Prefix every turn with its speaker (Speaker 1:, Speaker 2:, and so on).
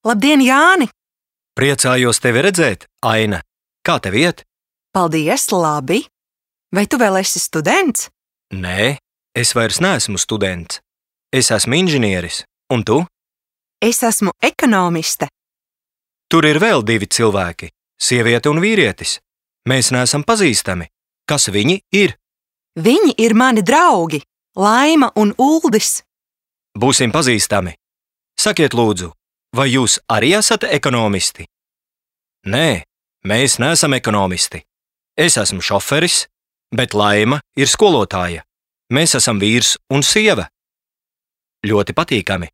Speaker 1: Labdien, Jāni!
Speaker 2: Priecājos tevi redzēt, Aina. Kā tev iet?
Speaker 1: Paldies, labi! Vai tu vēl esi students?
Speaker 2: Nē, es vairs neesmu students. Es esmu inženieris. Un tu?
Speaker 1: Es esmu ekonomiste.
Speaker 2: Tur ir vēl 2 cilvēki – sieviete un vīrietis. Mēs neesam pazīstami. Kas viņi ir?
Speaker 1: Viņi ir mani draugi, Laima un Uldis.
Speaker 2: Būsim pazīstami. Sakiet lūdzu, vai jūs arī esat ekonomisti? Nē, mēs neesam ekonomisti. Es esmu šoferis, bet Laima ir skolotāja. Mēs esam vīrs un sieva. Ļoti patīkami.